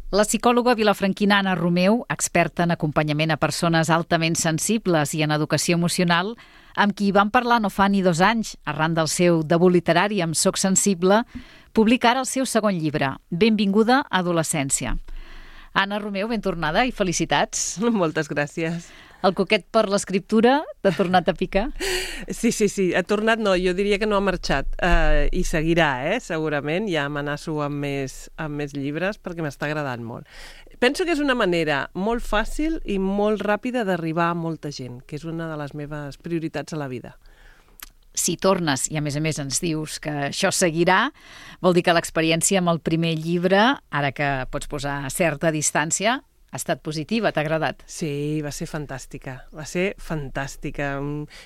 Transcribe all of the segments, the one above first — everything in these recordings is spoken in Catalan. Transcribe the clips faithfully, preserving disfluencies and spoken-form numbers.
La psicòloga vilafranquina Anna Romeu, experta en acompanyament a persones altament sensibles i en educació emocional, amb qui vam parlar no fa ni dos anys, arran del seu debut literari amb Soc sensible, publica ara el seu segon llibre, Benvinguda a adolescència. Anna Romeu, ben tornada i felicitats. Moltes gràcies. El coquet per l'escriptura t'ha tornat a picar? Sí, sí, sí. Ha tornat, no, jo diria que no ha marxat. Uh, I seguirà, eh, segurament. Ja amenaço amb més, amb més llibres perquè m'està agradant molt. Penso que és una manera molt fàcil i molt ràpida d'arribar a molta gent, que és una de les meves prioritats a la vida. Si tornes, i a més a més ens dius que això seguirà, vol dir que l'experiència amb el primer llibre, ara que pots posar certa distància, ha estat positiva, t'ha agradat? Sí, va ser fantàstica, va ser fantàstica.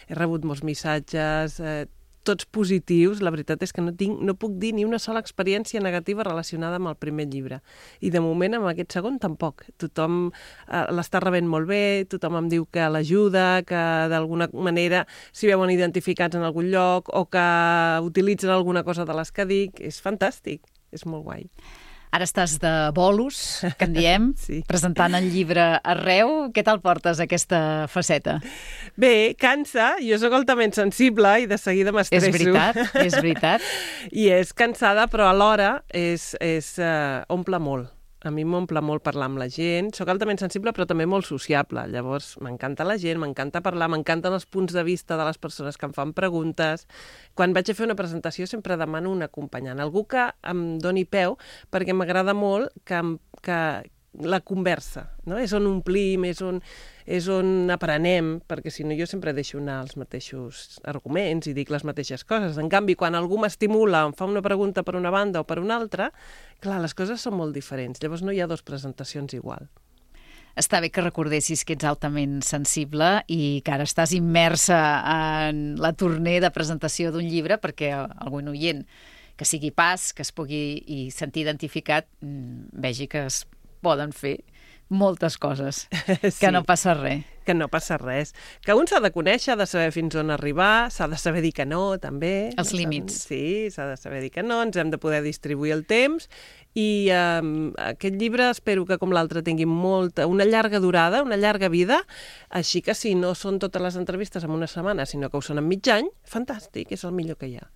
He rebut molts missatges, eh, tots positius. La veritat és que no, tinc, no puc dir ni una sola experiència negativa relacionada amb el primer llibre. I de moment amb aquest segon tampoc. Tothom eh, l'està rebent molt bé, tothom em diu que l'ajuda, que d'alguna manera s'hi veuen identificats en algun lloc o que utilitzen alguna cosa de les que dic. És fantàstic, és molt guai. Ara estàs de bolos, que en diem, sí. Presentant el llibre arreu. Què tal portes aquesta faceta? Bé, cansa. Jo sóc altament sensible i de seguida m'estresso. És veritat, és veritat. I és cansada, però alhora és, és, uh, omple molt. A mi m'omple molt parlar amb la gent. Soc altament sensible, però també molt sociable. Llavors, m'encanta la gent, m'encanta parlar, m'encanten els punts de vista de les persones que em fan preguntes. Quan vaig a fer una presentació sempre demano un acompanyant, algú que em doni peu, perquè m'agrada molt que, que la conversa, no? És on omplim, és on, és on aprenem, perquè si no jo sempre deixo anar els mateixos arguments i dic les mateixes coses. En canvi, quan algú m'estimula, em fa una pregunta per una banda o per una altra, clar, les coses són molt diferents. Llavors no hi ha dues presentacions igual. Està bé que recordessis que ets altament sensible i que ara estàs immersa en la tournée de presentació d'un llibre perquè algun oient que sigui pas, que es pugui i sentir identificat, vegi que es poden fer moltes coses, sí, que no passa res. Que no passa res. Que un s'ha de conèixer, ha de saber fins on arribar, s'ha de saber dir que no, també. Els límits. Sí, s'ha de saber dir que no, ens hem de poder distribuir el temps i eh, aquest llibre espero que com l'altre tingui molta, una llarga durada, una llarga vida, així que si no són totes les entrevistes en una setmana, sinó que ho són en mig any, fantàstic, és el millor que hi ha.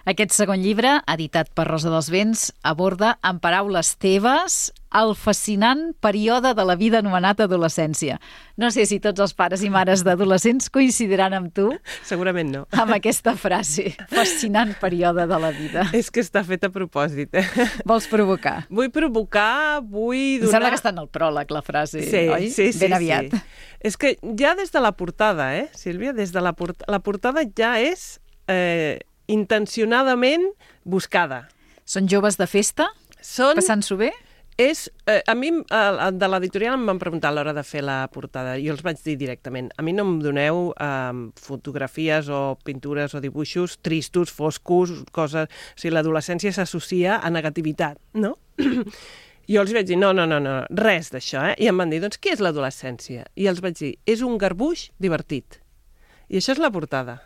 Aquest segon llibre, editat per Rosa dels Vents, aborda, en paraules teves, el fascinant període de la vida anomenat adolescència. No sé si tots els pares i mares d'adolescents coincidiran amb tu. Segurament no. Amb aquesta frase, fascinant període de la vida. És que està fet a propòsit. Eh? Vols provocar? Vull provocar, vull donar... Em sembla que està en el pròleg, la frase, sí, oi? Sí, sí, ben aviat. Sí. És que ja des de la portada, eh, Sílvia? Des de la, port... la portada ja és... Eh... intencionadament buscada. Són joves de festa? Són... Passant-s'ho bé? És, eh, a mi, eh, de l'editorial em van preguntar a l'hora de fer la portada, i jo els vaig dir directament, a mi no em doneu eh, fotografies o pintures o dibuixos tristos, foscos, coses... O sigui, l'adolescència s'associa a negativitat, no? Jo els vaig dir, no, no, no, no, res d'això, eh? I em van dir, doncs, què és l'adolescència? I els vaig dir, és un garbuix divertit. I això és la portada.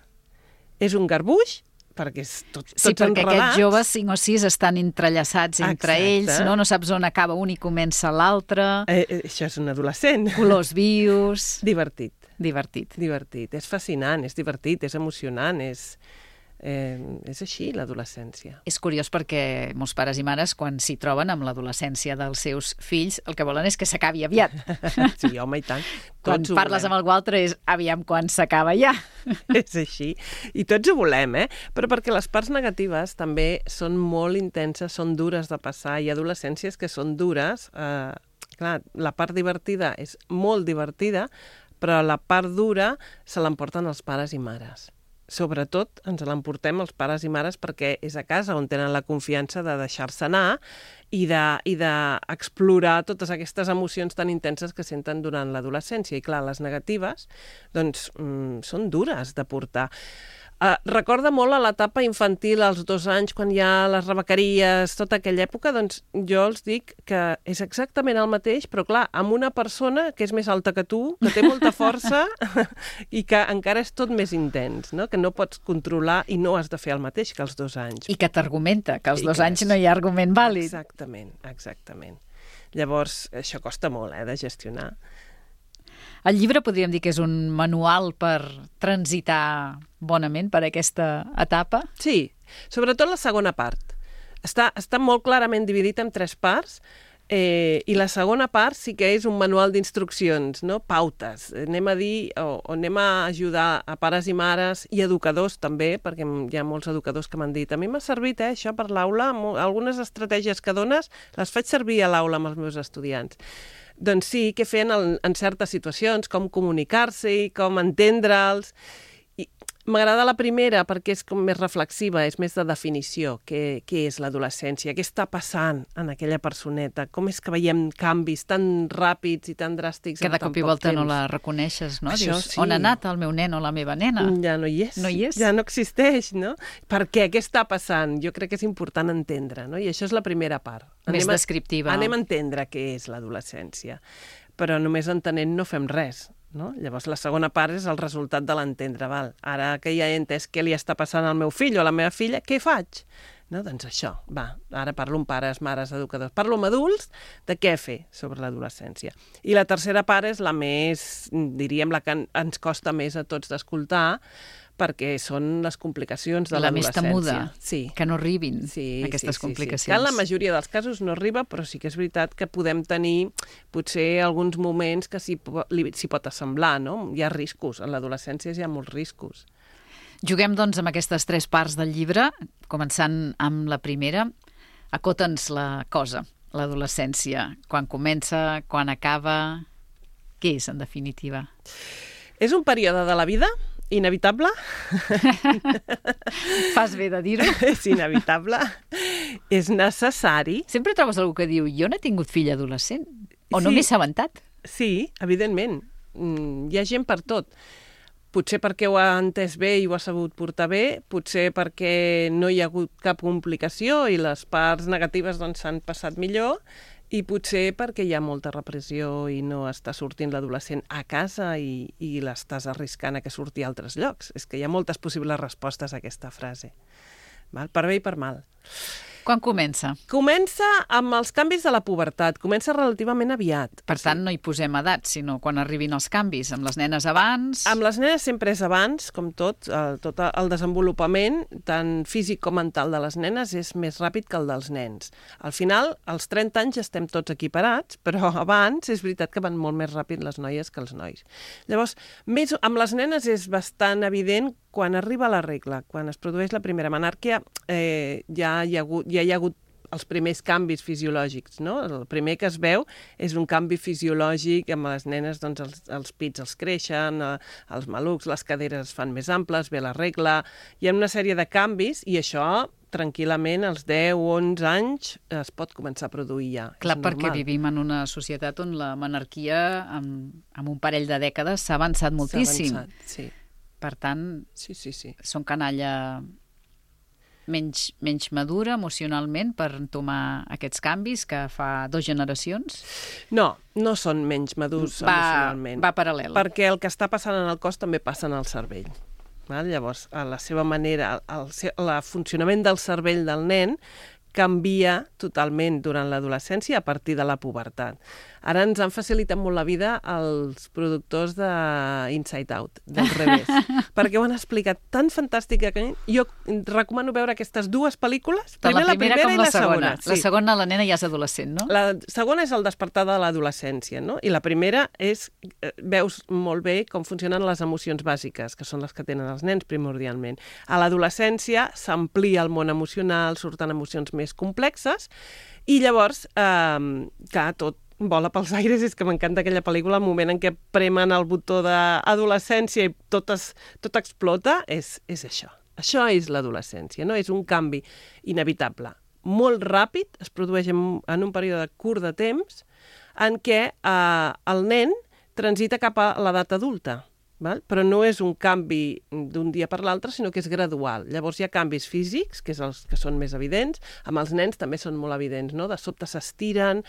És un garbuix perquè és tot, tots sí, perquè enredats. Aquests joves cinc o sis estan entrellaçats entre Exacte. Ells, no? No saps on acaba un i comença l'altre. Eh, eh, això és un adolescent. Colors vius. Divertit. Divertit. Divertit. És fascinant, és divertit, és emocionant, és... Eh, és així, l'adolescència. És curiós perquè molts pares i mares, quan s'hi troben amb l'adolescència dels seus fills, el que volen és que s'acabi aviat. Sí, home, i tant. Quan Tots parles amb algú altre és aviam quan s'acaba ja. És així. I tots ho volem, eh? Però perquè les parts negatives també són molt intenses, són dures de passar. Hi ha adolescències que són dures. Eh, clar, la part divertida és molt divertida, però la part dura se l'emporten els pares i mares. Sobretot ens l'emportem els pares i mares perquè és a casa on tenen la confiança de deixar-se anar i d'explorar de, totes aquestes emocions tan intenses que senten durant l'adolescència. I clar, les negatives doncs, mm, són dures de portar. Uh, recorda molt a l'etapa infantil, als dos anys, quan hi ha les rebequeries, tota aquella època, doncs jo els dic que és exactament el mateix, però clar, amb una persona que és més alta que tu, que té molta força i que encara és tot més intens, no? Que no pots controlar i no has de fer el mateix que als dos anys. I que t'argumenta, que als I dos que anys és... no hi ha argument vàlid. Exactament, exactament. Llavors, això costa molt, eh, de gestionar. El llibre podríem dir que és un manual per transitar bonament per aquesta etapa? Sí, sobretot la segona part. Està, està molt clarament dividit en tres parts eh, i la segona part sí que és un manual d'instruccions, no? Pautes. Anem a dir o, o anem a ajudar a pares i mares i educadors també, perquè hi ha molts educadors que m'han dit a mi m'ha servit eh, això per l'aula, algunes estratègies que dones les faig servir a l'aula amb els meus estudiants. Doncs sí, què fer en, en certes situacions, com comunicar-se, com entendre'ls. I m'agrada la primera perquè és com més reflexiva, és més de definició. Què, què és l'adolescència? Què està passant en aquella personeta? Com és que veiem canvis tan ràpids i tan dràstics que en de tan cop i poc volta temps? no la reconeixes, no? Això Dius, sí. on ha anat el meu nen o la meva nena? Ja no hi és. No hi és. Ja no existeix, no? Per què? Què està passant? Jo crec que és important entendre, no? I això és la primera part. Més Anem a, descriptiva. Anem a entendre què és l'adolescència. Però només entenent no fem res. No? Llavors, la segona part és el resultat de l'entendre. Val? Ara que ja he entès què li està passant al meu fill o a la meva filla, què faig? No? Doncs això, va, ara parlo amb pares, mares, educadors. Parlo amb adults de què fer sobre l'adolescència. I la tercera part és la més, diríem, la que ens costa més a tots d'escoltar, perquè són les complicacions de la més l'adolescència. temuda, sí. que no arribin sí, aquestes sí, complicacions. Sí, sí. Que en la majoria dels casos no arriba, però sí que és veritat que podem tenir potser alguns moments que s'hi pot assemblar, no? Hi ha riscos, en l'adolescència hi ha molts riscos. Juguem, doncs, amb aquestes tres parts del llibre, començant amb la primera. Acota'ns la cosa, l'adolescència. Quan comença, quan acaba... Què és, en definitiva? És un període de la vida inevitable. Fas bé de dir-ho. És inevitable. És necessari. Sempre trobes algú que diu, jo no he tingut fill adolescent, o no Sí. m'he assabentat. Sí, evidentment. Mm, hi ha gent per tot. Potser perquè ho ha entès bé i ho ha sabut portar bé, potser perquè no hi ha hagut cap complicació i les parts negatives doncs s'han passat millor, i potser perquè hi ha molta repressió i no està sortint l'adolescent a casa i, i l'estàs arriscant a que surti a altres llocs. És que hi ha moltes possibles respostes a aquesta frase. Val? Per bé i per mal. Quan comença? Comença amb els canvis de la pubertat. Comença relativament aviat. Per tant, no hi posem edat, sinó quan arribin els canvis. Amb les nenes abans... Amb les nenes sempre és abans, com tot. El, tot el desenvolupament, tant físic com mental de les nenes, és més ràpid que el dels nens. Al final, als trenta anys estem tots equiparats, però abans és veritat que van molt més ràpid les noies que els nois. Llavors, més, amb les nenes és bastant evident quan arriba la regla, quan es produeix la primera menàrquia, eh, ja, hi ha hagut, ja hi ha hagut els primers canvis fisiològics, no? El primer que es veu és un canvi fisiològic, amb les nenes doncs, els, els pits els creixen, eh, els malucs, les caderes es fan més amples, ve la regla, hi ha una sèrie de canvis i això tranquil·lament als deu o onze anys es pot començar a produir ja. Clar, és perquè normal. vivim en una societat on la menarquia, amb, amb un parell de dècades, s'ha avançat moltíssim. S'ha avançat, sí. Per tant, Sí, sí, sí. són canalla menys, menys madura emocionalment per entomar aquests canvis que fa dues generacions? No, no són menys madurs Va, emocionalment. va paral·lel. Perquè el que està passant en el cos també passa en el cervell. Val? Llavors, a la seva manera, el, el, el funcionament del cervell del nen canvia totalment durant l'adolescència a partir de la pubertat. Ara ens han facilitat molt la vida els productors de Inside Out, del revés, perquè ho han explicat tan fantàstica que jo recomano veure aquestes dues pel·lícules, Tant primer la la primera primera com i la la segona. segona. La segona, la nena ja és adolescent, no? La segona és el despertar de l'adolescència, no? I la primera és, eh, veus molt bé com funcionen les emocions bàsiques, que són les que tenen els nens primordialment. A l'adolescència s'amplia el món emocional, surten emocions més complexes, i llavors, eh, clar, tot vola pels aires, és que m'encanta aquella pel·lícula, el moment en què premen el botó d'adolescència i tot, es, tot explota, és, és això. Això és l'adolescència, no? És un canvi inevitable, molt ràpid, es produeix en, en un període curt de temps, en què eh, el nen transita cap a l'edat adulta. val? Però no és un canvi d'un dia per l'altre, sinó que és gradual. Llavors hi ha canvis físics, que és els que són més evidents, amb els nens també són molt evidents, no? De sobte s'estiren,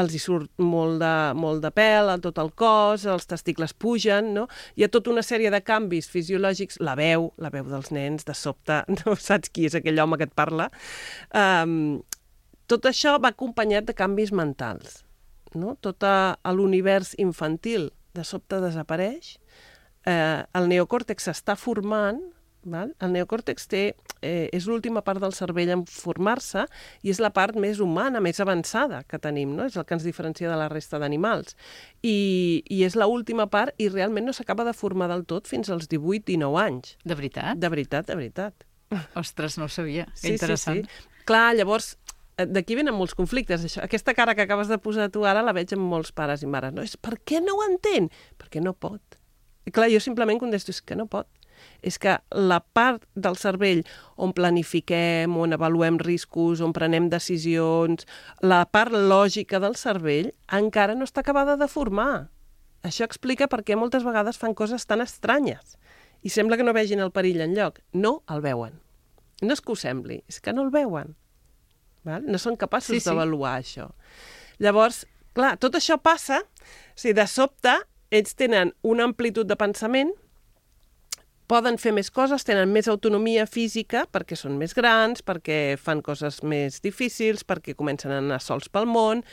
els hi surt molt de, molt de pèl a tot el cos, els testicles pugen, no? Hi ha tota una sèrie de canvis fisiològics, la veu, la veu dels nens, de sobte, no saps qui és aquell home que et parla. Um, tot això va acompanyat de canvis mentals, no? Tot l'univers infantil de sobte desapareix. Eh, el neocòrtex s'està formant, val? El neocòrtex té, eh, és l'última part del cervell en formar-se i és la part més humana, més avançada que tenim, no? És el que ens diferencia de la resta d'animals. I, i és l'última part i realment no s'acaba de formar del tot fins als divuit dinou anys. De veritat? De veritat, de veritat. Ostres, no ho sabia. Sí, interessant. Sí, sí. Clar, llavors, d'aquí venen molts conflictes. Això, aquesta cara que acabes de posar tu ara la veig amb molts pares i mares. No? És, per què no ho entén? Perquè no pot. I clar, jo simplement contesto, és que no pot. És que la part del cervell on planifiquem, on avaluem riscos, on prenem decisions, la part lògica del cervell encara no està acabada de formar. Això explica per què moltes vegades fan coses tan estranyes i sembla que no vegin el perill enlloc. No el veuen. No és que ho sembli, és que no el veuen. Val? No són capaços sí, sí. d'avaluar això. Llavors, clar, tot això passa si de sobte ells tenen una amplitud de pensament, poden fer més coses, tenen més autonomia física perquè són més grans, perquè fan coses més difícils, perquè comencen a anar sols pel món,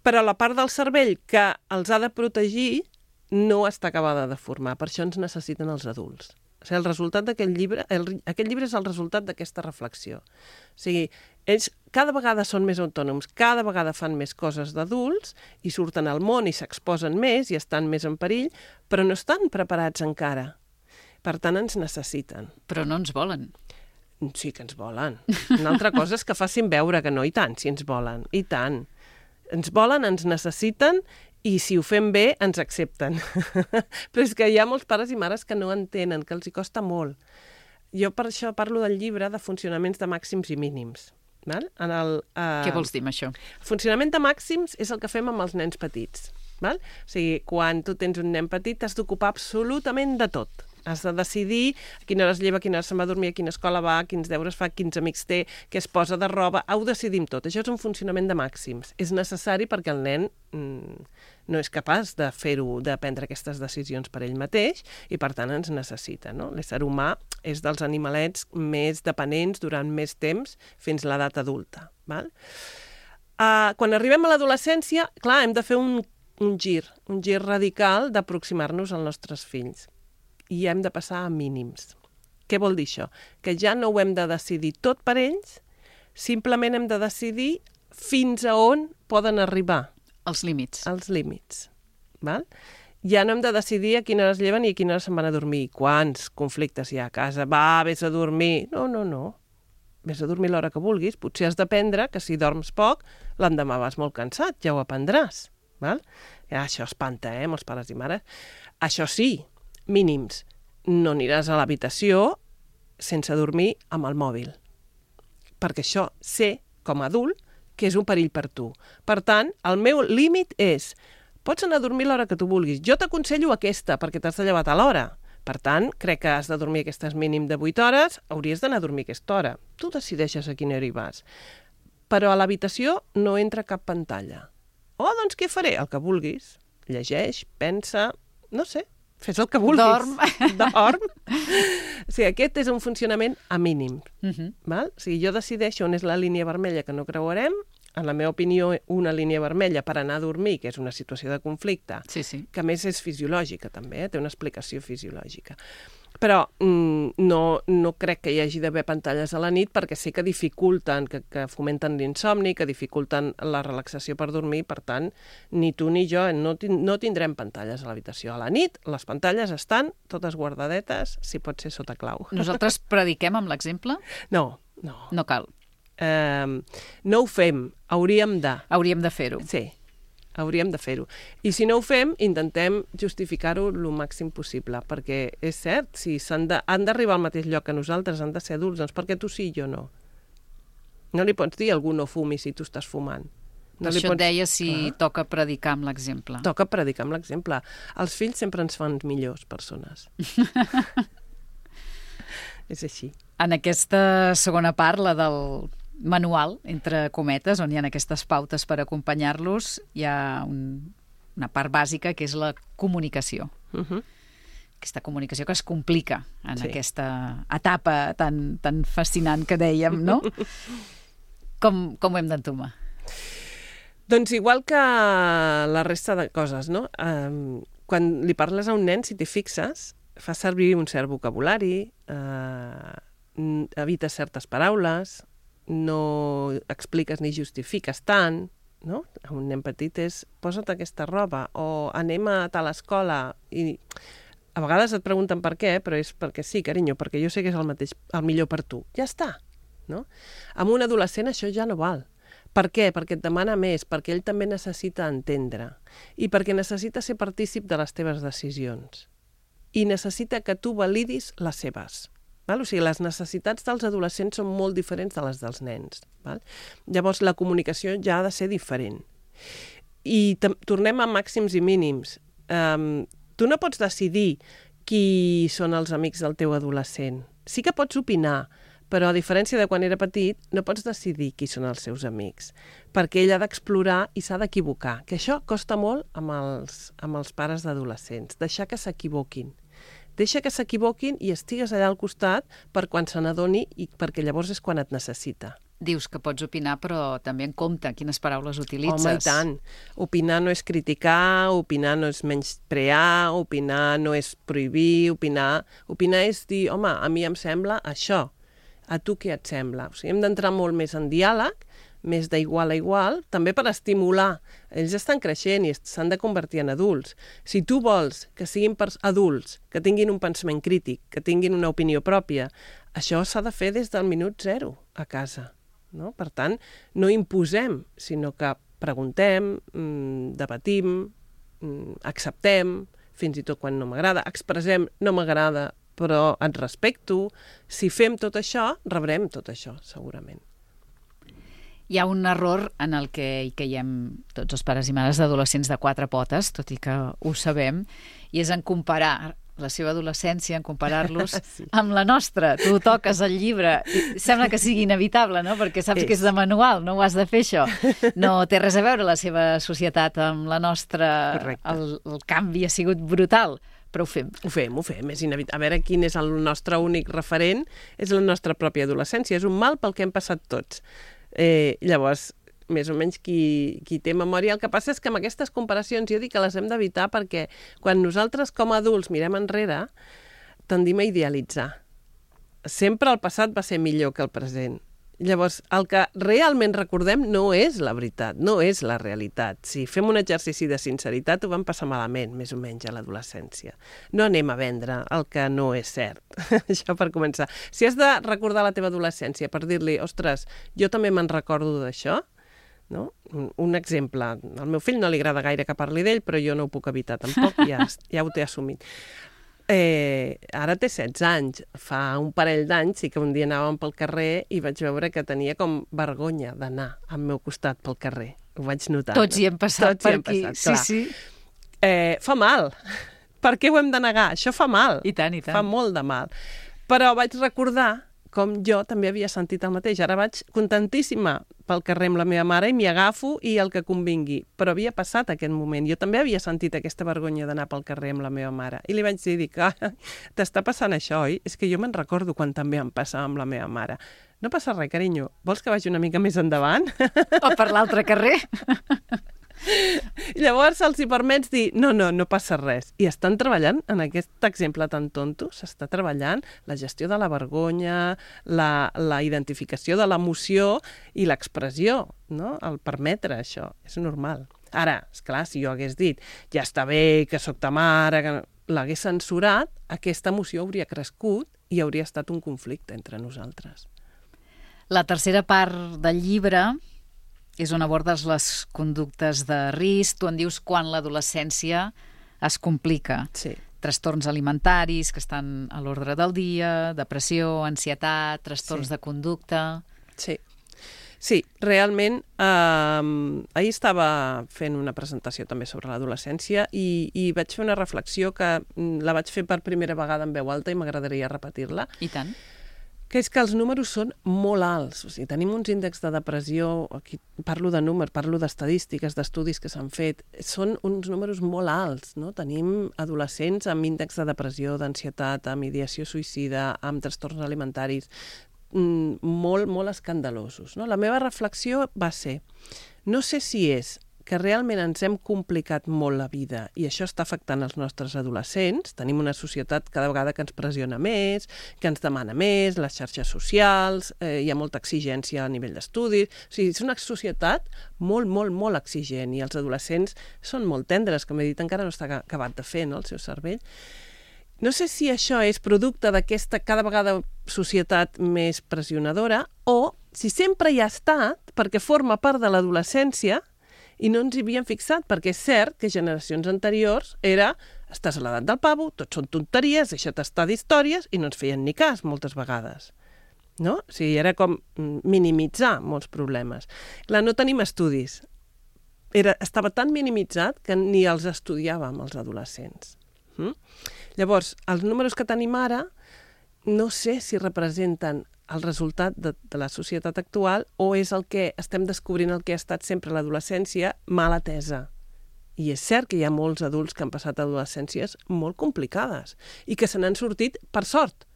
però la part del cervell que els ha de protegir no està acabada de formar. Per això ens necessiten els adults. O sigui, el resultat d'aquest llibre, el, aquest llibre és el resultat d'aquesta reflexió. O sigui, ells cada vegada són més autònoms, cada vegada fan més coses d'adults i surten al món i s'exposen més i estan més en perill, però no estan preparats encara. Per tant, ens necessiten. Però no ens volen. Sí que ens volen. Una altra cosa és que facin veure que no, i tant, si ens volen, i tant. Ens volen, ens necessiten i si ho fem bé, ens accepten. Però és que hi ha molts pares i mares que no entenen, que els hi costa molt. Jo per això parlo del llibre de funcionaments de màxims i mínims. Val? En el, uh... Què vols dir amb això? Funcionament de màxims és el que fem amb els nens petits. Val? O sigui, quan tu tens un nen petit t'has d'ocupar absolutament de tot. Has de decidir a quina hora es lleva, a quina hora se'n va a dormir, a quina escola va, quins deures fa, quins amics té, què es posa de roba. Ho decidim tot. Això és un funcionament de màxims. És necessari perquè el nen mm, no és capaç de fer-ho, de prendre aquestes decisions per ell mateix i, per tant, ens necessita. No? L'ésser humà és dels animalets més dependents durant més temps fins a l'edat adulta. Val? Uh, quan arribem a l'adolescència, clar, hem de fer un, un gir, un gir radical d'aproximar-nos als nostres fills. I hem de passar a mínims. Què vol dir això? Que ja no ho hem de decidir tot per ells, simplement hem de decidir fins a on poden arribar. Els límits. Els límits. Val? Ja no hem de decidir a quina hora es lleven i a quina hora se'n van a dormir. Quants conflictes hi ha a casa? Va, vés a dormir. No, no, no. Vés a dormir l'hora que vulguis. Potser has d'aprendre que si dorms poc, l'endemà vas molt cansat, ja ho aprendràs. Val? Ja, això espanta, eh, molts pares i mares. Això sí, mínims. No aniràs a l'habitació sense dormir amb el mòbil. Perquè això sé, com a adult, que és un perill per tu. Per tant, el meu límit és, pots anar a dormir l'hora que tu vulguis. Jo t'aconsello aquesta, perquè t'has de llevar a l'hora. Per tant, crec que has de dormir aquestes mínim de vuit hores, hauries d'anar a dormir aquesta hora. Tu decideixes a quina hora hi vas. Però a l'habitació no entra cap pantalla. Oh, doncs què faré? El que vulguis. Llegeix, pensa, no sé, fes el que vulguis. Dorm. Dorm. O sigui, aquest és un funcionament a mínim. Uh-huh. Val? O sigui, jo decideixo on és la línia vermella que no creuarem, en la meva opinió, una línia vermella per anar a dormir, que és una situació de conflicte, sí, sí. que a més és fisiològica també, eh? Té una explicació fisiològica. Però mm, no, no crec que hi hagi d'haver pantalles a la nit perquè sé que dificulten, que, que fomenten l'insomni, que dificulten la relaxació per dormir, per tant, ni tu ni jo no, no tindrem pantalles a l'habitació. A la nit les pantalles estan totes guardadetes, si pot ser sota clau. Nosaltres prediquem amb l'exemple? No, no. No cal. Um, no ho fem, hauríem de. Hauríem de fer-ho. Sí, hauríem de fer-ho. I si no ho fem, intentem justificar-ho el màxim possible, perquè és cert, si s'han de, han d'arribar al mateix lloc que nosaltres, han de ser adults, doncs perquè tu sí i jo no. No li pots dir a algú no fumi si tu estàs fumant. Per això pots... et deia si Clar. toca predicar amb l'exemple. Toca predicar amb l'exemple. Els fills sempre ens fan millors persones. És així. En aquesta segona part, la del manual, entre cometes, on hi ha aquestes pautes per acompanyar-los, hi ha un, una part bàsica que és la comunicació. Uh-huh. Aquesta comunicació que es complica en sí. aquesta etapa tan, tan fascinant que dèiem, no? Com, com ho hem d'entomar? Doncs igual que la resta de coses, no? Um, quan li parles a un nen, si t'hi fixes, fa servir un cert vocabulari, uh, evita certes paraules, no expliques ni justifiques tant, no? A un nen petit és posa't aquesta roba o anem a tal escola i a vegades et pregunten per què, però és perquè sí, carinyo, perquè jo sé que és el mateix, el millor per tu. Ja està, no? Amb un adolescent això ja no val. Per què? Perquè et demana més, perquè ell també necessita entendre i perquè necessita ser partícip de les teves decisions i necessita que tu validis les seves. Val? O sigui, les necessitats dels adolescents són molt diferents de les dels nens. Val? Llavors, la comunicació ja ha de ser diferent. I tornem a màxims i mínims. Um, tu no pots decidir qui són els amics del teu adolescent. Sí que pots opinar, però a diferència de quan era petit, no pots decidir qui són els seus amics, perquè ell ha d'explorar i s'ha d'equivocar, que això costa molt amb els, amb els pares d'adolescents, deixar que s'equivoquin. Deixa que s'equivoquin i estigues allà al costat per quan se n'adoni i perquè llavors és quan et necessita. Dius que pots opinar, però també en compte quines paraules utilitzes. Home, i tant. Opinar no és criticar, opinar no és menysprear, opinar no és prohibir, opinar... Opinar és dir, home, a mi em sembla això. A tu què et sembla? O sigui, hem d'entrar molt més en diàleg, més d'igual a igual, també per estimular. Ells estan creixent i s'han de convertir en adults. Si tu vols que siguin adults, que tinguin un pensament crític, que tinguin una opinió pròpia, això s'ha de fer des del minut zero a casa. No? Per tant, no imposem, sinó que preguntem, mmm, debatim, mmm, acceptem, fins i tot quan no m'agrada, expressem no m'agrada, però et respecto. Si fem tot això, rebrem tot això, segurament. Hi ha un error en el que hi caiem tots els pares i mares d'adolescents de quatre potes, tot i que ho sabem, i és en comparar la seva adolescència, en comparar-los sí. amb la nostra. Tu toques el llibre i sembla que sigui inevitable, no? Perquè saps és. que és de manual, no ho has de fer, això. No té res a veure la seva societat amb la nostra. El, el canvi ha sigut brutal, però ho fem. Ho fem, ho fem. És inevitable. A veure quin és el nostre únic referent, és la nostra pròpia adolescència. És un mal pel que hem passat tots. Eh, llavors, més o menys qui, qui té memòria. El que passa és que amb aquestes comparacions jo dic que les hem d'evitar perquè quan nosaltres com a adults mirem enrere tendim a idealitzar. Sempre el passat va ser millor que el present. Llavors, el que realment recordem no és la veritat, no és la realitat. Si fem un exercici de sinceritat, ho vam passar malament, més o menys, a l'adolescència. No anem a vendre el que no és cert. Això per començar. Si has de recordar la teva adolescència per dir-li, ostres, jo també me'n recordo d'això, no? Un exemple. Al meu fill no li agrada gaire que parli d'ell, però jo no ho puc evitar tampoc, ja, ja ho té assumit. Eh, ara té setze anys. Fa un parell d'anys sí que un dia anàvem pel carrer i vaig veure que tenia com vergonya d'anar al meu costat pel carrer. Ho vaig notar. Tots hi hem passat Tots per aquí. Passat, sí, sí. Eh, fa mal. Per què ho hem de negar? Això fa mal. I tant, i tant. Fa molt de mal. Però vaig recordar com jo també havia sentit el mateix. Ara vaig contentíssima pel carrer amb la meva mare i m'hi agafo i el que convingui. Però havia passat aquest moment. Jo també havia sentit aquesta vergonya d'anar pel carrer amb la meva mare. I li vaig dir, dic, ah, t'està passant això, oi? És que jo me'n recordo quan també em passava amb la meva mare. No passa res, carinyo. Vols que vagi una mica més endavant? O per l'altre carrer? Llavors els hi permets dir, no, no, no passa res. I estan treballant, en aquest exemple tan tonto, s'està treballant la gestió de la vergonya, la, la identificació de l'emoció i l'expressió, no? El permetre això, és normal. Ara, esclar, si jo hagués dit, ja està bé, que sóc ta mare, que l'hagués censurat, aquesta emoció hauria crescut i hauria estat un conflicte entre nosaltres. La tercera part del llibre és on abordes les conductes de risc. Tu en dius quan l'adolescència es complica. Sí. Trastorns alimentaris que estan a l'ordre del dia, depressió, ansietat, trastorns sí. de conducta... Sí. Sí, realment, eh, ahir estava fent una presentació també sobre l'adolescència i, i vaig fer una reflexió que la vaig fer per primera vegada en veu alta i m'agradaria repetir-la. I tant. Que és que els números són molt alts. O sigui, tenim uns índexs de depressió, aquí parlo de números, parlo d'estadístiques, d'estudis que s'han fet, són uns números molt alts, no? Tenim adolescents amb índex de depressió, d'ansietat, amb ideació suïcida, amb trastorns alimentaris, molt, molt escandalosos. No? La meva reflexió va ser, no sé si és que realment ens hem complicat molt la vida i això està afectant els nostres adolescents. Tenim una societat cada vegada que ens pressiona més, que ens demana més, les xarxes socials, eh, hi ha molta exigència a nivell d'estudis. O sigui, és una societat molt, molt, molt exigent i els adolescents són molt tendres, com he dit, encara no està acabat de fer, no?, el seu cervell. No sé si això és producte d'aquesta cada vegada societat més pressionadora o si sempre hi ha estat perquè forma part de l'adolescència i no ens hi havíem fixat, perquè és cert que generacions anteriors era estàs a l'edat del pavo, tot són tonteries, deixa't estar d'històries i no ens feien ni cas moltes vegades. No? O sigui, era com minimitzar molts problemes. Clar, no tenim estudis. Era, estava tan minimitzat que ni els estudiàvem, els adolescents. Mm? Llavors, els números que tenim ara no sé si representen el resultat de, de la societat actual o és el que estem descobrint el que ha estat sempre l'adolescència mal atesa. I és cert que hi ha molts adults que han passat adolescències molt complicades i que se n'han sortit per sort.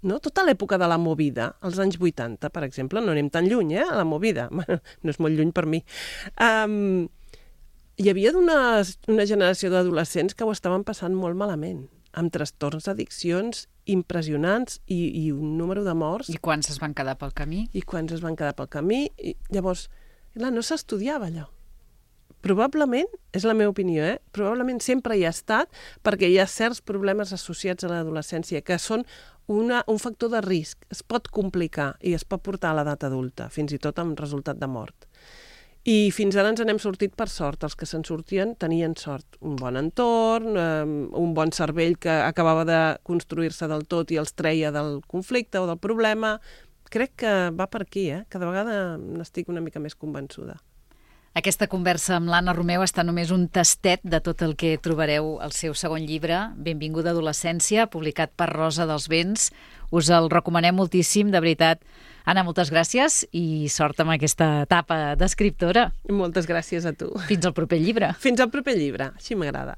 No? Tota l'època de la movida, als anys vuitanta, per exemple, no anem tan lluny, eh, a la movida. Bueno, no és molt lluny per mi. Um, hi havia una, una generació d'adolescents que ho estaven passant molt malament, amb trastorns d'addiccions impressionants i, i un número de morts. I quants es van quedar pel camí? I quants es van quedar pel camí. I llavors, clar, no s'estudiava allò. Probablement, és la meva opinió, eh? probablement sempre hi ha estat perquè hi ha certs problemes associats a l'adolescència que són una, un factor de risc. Es pot complicar i es pot portar a l'edat adulta, fins i tot amb resultat de mort. I fins ara ens n'hem sortit per sort. Els que se'n sortien tenien sort. Un bon entorn, eh, un bon cervell que acabava de construir-se del tot i els treia del conflicte o del problema. Crec que va per aquí, eh? Cada vegada n'estic una mica més convençuda. Aquesta conversa amb l'Anna Romeu està només un tastet de tot el que trobareu al seu segon llibre, Benvinguda adolescència, publicat per Rosa dels Vents. Us el recomanem moltíssim, de veritat. Anna, moltes gràcies i sort amb aquesta etapa d'escriptora. Moltes gràcies a tu. Fins al proper llibre. Fins al proper llibre, així m'agrada.